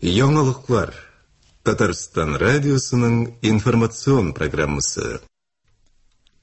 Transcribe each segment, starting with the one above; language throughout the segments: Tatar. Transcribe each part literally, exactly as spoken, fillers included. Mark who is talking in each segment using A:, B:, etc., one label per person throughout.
A: Яңалыклар. Татарстан радиосының информацион программасы.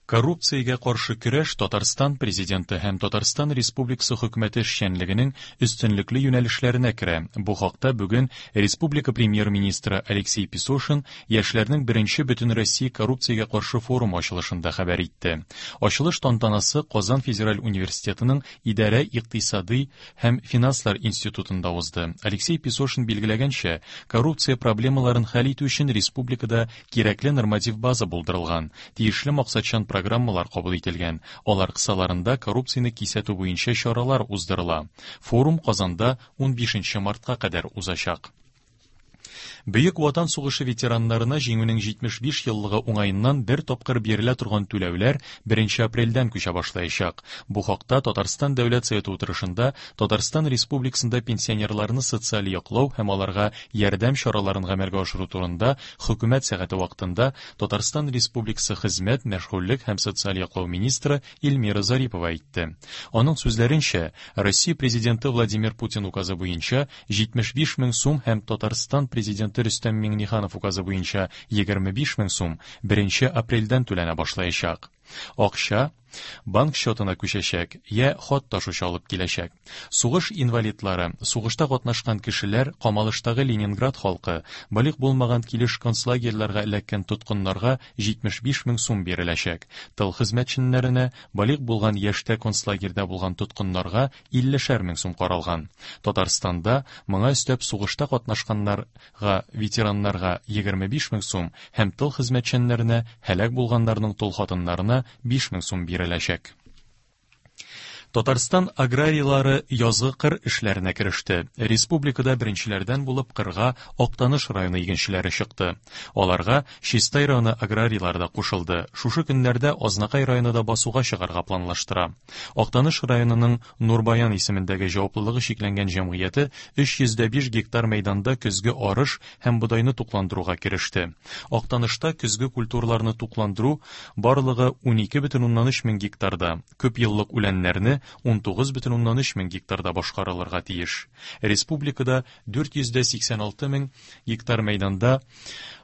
B: Коррупциягә каршы көрәш Татарстан Президенты һәм Татарстан Республикасы хөкүмәте эшчәнлегенең өстенлекле юнәлешләренә керә. Бу хакта бүген Республика премьер-министры Алексей Песошин яшьләрнең беренче Бөтенроссия коррупциягә каршы форум ачылышында хәбәр итте. Ачылыш тантанасы Казан федераль университетының идарә икътисади һәм финанслар институтында узды. Алексей Песошин билгеләгәнчә, коррупция проблемаларын хәл итү өчен республикада кирәкле норматив база булдырылган, тиешле максатчан программалар кабул ителгән. Алар кысаларында коррупцияне кисәтү буенча чаралар уздырыла. Форум Казанда унбишенче мартка кадәр узачак. Бөек Ватан сугышы ветераннарына җиңүнең җитмеш биш еллыгы уңаеннан бер тапкыр бирелә торган түләүләр беренче апрельдән күчә башлаячак. Бу хакта Татарстан Дәүләт Советы утырышында Татарстан Республикасында пенсионерларны социаль яклау һәм аларга ярдәм чараларын гамәлгә ашыру турында хөкүмәт сәгате вакытында Татарстан Республикасы Хезмәт, мәшгульлек һәм социаль яклау министры Эльмира Зарипова әйтте. Аның сүзләренчә, Россия Президенты Владимир Путин указы буенча җитмеш биш мең сум һәм Татарстан Президенты Рөстәм Миңнеханов указы буенча егерме биш мең сум беренче апрельдән түләнә башлаячак. Акча банк счетына күчәчәк, я хат ташучы алып киләчәк. Сугыш инвалидлары, сугышта катнашкан кешеләр, камалыштагы Ленинград халкы, балигъ булмаган килеш концлагерьларга эләккән тоткыннарга җитмеш биш мең сум биреләчәк. Тыл хезмәтчеләренә, балигъ булган яшьтә концлагерьдә булган тоткыннарга иллешәр мең сум каралган. Татарстанда моңа өстәп сугышта катнашканнарга, ветераннарга егерме биш мең сум һәм тыл хезмәтчәннәренә, һәлак булганнарның тол хатыннарына биш мең сум биреләчәк. Татарстан аграрийлары язгы кыр эшләренә кереште. Республикада беренчеләрдән булып кырга Актаныш районы игенчеләре чыкты. Аларга Чистай районы аграрийлары да кушылды. Шушы көннәрдә Азнакай районы да басуга чыгарга планлаштыра. Актаныш районының Нурбаян исемендәге җаваплылыгы чикләнгән җәмгыяте өч йөз дә биш гектар мәйданда көзге арыш һәм бодайны тукландыруга кереште. Актанышта көзге культураларны тукландыру барлыгы унике бөтен уннан өч мең гектарда, күп еллык үләннәрне ун тугыз бөтен уннан өч мең гектарда башкарылырга тиеш. Республикада дүрт йөз дә сиксән алты мең гектар мәйданда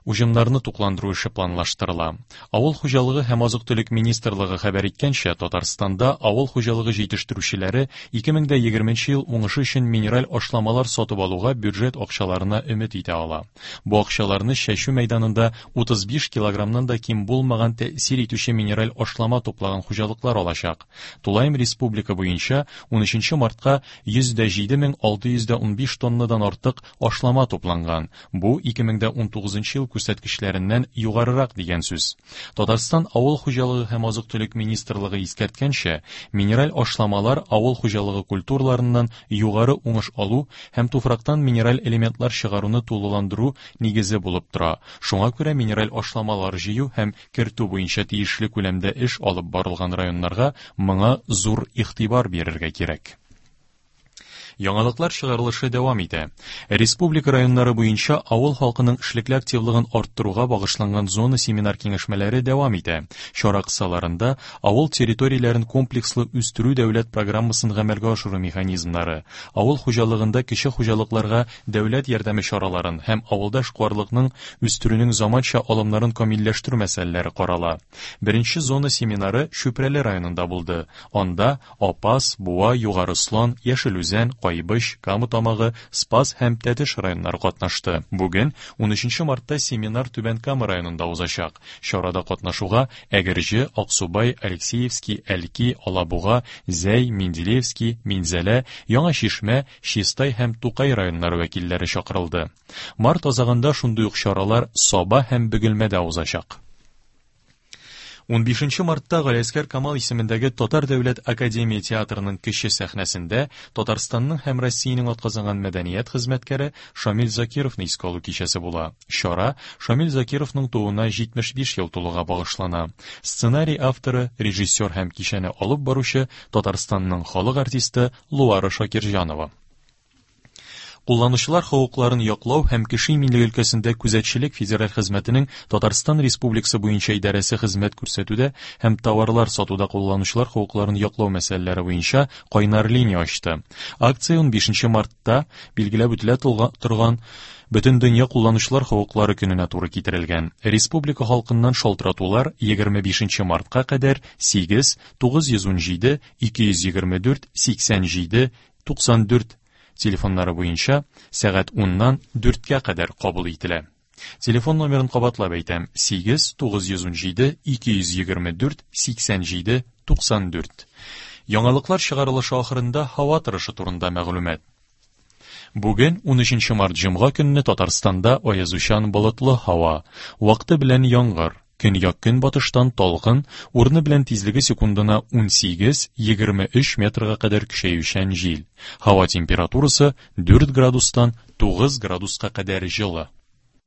B: уҗымнарны тукландыру эше планлаштырыла. Авыл хуҗалыгы һәм азык-төлек министрлыгы хәбәр иткәнчә, Татарстанда авыл хуҗалыгы җитештерүчеләре ике мең дә егерменче ел уңышы өчен минераль ашламалар сатып алуга бюджет акчаларына өмет итә ала. Бу акчаларны чәчү мәйданында утыз биш килограммнан да ким булмаган тәэсир итүче минераль ашлама туплаган хуҗалыклар алачак. Тулаем республика буенча унөченче мартка йөз дә җиде мең алты йөз дә унбиш тоннадан артык ашлама тупланган. Бу ике мең дә унтугызынчы ел күрсәткечләреннән югарырак дигән сүз. Татарстан Авыл хуҗалыгы һәм азык-төлек министрлыгы искәрткәнчә, минераль ашламалар авыл хуҗалыгы культураларыннан югары уңыш алу һәм туфрактан минераль элементлар чыгаруны тулыландыру нигезе булып тора. Шуңа күрә минераль ашламалар җыю һәм кертү буенча тиешле күләмдә эш алып барылган районнарга моңа зур игътибар бирергә кирәк. Яңалыклар чыгарылышы дәвам итә. Республика районнары буенча авыл халкының эшлекле активлыгын арттыруга багышланган зона семинар киңәшмәләре дәвам итә. Чара кысаларында авыл территорияләрен комплекслы үстерү дәүләт программасын гамәлгә ашыру механизмнары, авыл хуҗалыгында кече хуҗалыкларга дәүләт ярдәме чараларын һәм авылда эшкуарлыкның үстерүнең заманча алымнарын камилләштерү мәсьәләләре карала. Беренче зона семинары Чүпрәле районында булды. Анда Апас, Буа, Югары Ослан, Яшел Үзән, Кайбыч, Кама Тамагы, Спас һәм Тәтеш районнары катнашты. Бүген унөченче мартта семинар Түбән Кама районында узачак. Чарада катнашуга Әгерҗе, Аксубай, Алексеевский, Әлки, Алабуга, Зәй, Менделеевский, Минзәлә, Яңа Чишмә, Чистай һәм Тукай районнары вәкилләре чакырылды. Март азагында шундый ук чаралар Саба һәм Бөгелмәдә узачак. Унбишенче мартта Галиәсгар Камал исемендәге Татар дәүләт академия театрының кече сәхнәсендә Татарстанның һәм Россиянең атказанган мәдәният хезмәткәре Шамил Закировны искә алу кичәсе була. Чара Шамил Закировның тууына җитмеш биш ел тулуга багышлана. Сценарий авторы, режиссер һәм кичәне алып баручы Татарстанның халык артисты Луара Шакирҗанова. Кулланучылар хокукларын яклау һәм кеше иминлеге өлкәсендә күзәтчелек федераль хезмәтенең Татарстан Республикасы буенча идарәсе хезмәт күрсәтүдә һәм товарлар сатуда кулланучылар хокукларын яклау мәсьәләләре буенча кайнар линия ачты. Акция унбишенче мартта билгеләп үтелә торган Бөтендөнья кулланучылар хокуклары көненә туры китерелгән. Республика халкыннан шалтыратулар егерме бишенче мартка кадәр сигез тугыз йөз ун җиде ике йөз егерме дүрт сиксән җиде туксан дүрт телефоннары буенча сәгать уннан дүрткә кадәр кабул ителә. Телефон номерын кабатлап әйтәм: сигез тугыз йөз ун җиде ике йөз егерме дүрт сиксән җиде туксан дүрт. Яңалыклар чыгарылышы ахырында һава торышы турында мәгълүмат. Бүген унөченче март җомга көнне Татарстанда аязучан болытлы һава, вакыты белән яңгыр, көньяк-көнбатыштан талгын, урыны белән тизлеге секундына ун сигез егерме өч метрга кадәр көчәючән җил. Һава температурасы дүрт градустан тугыз градуска кадәр җылы.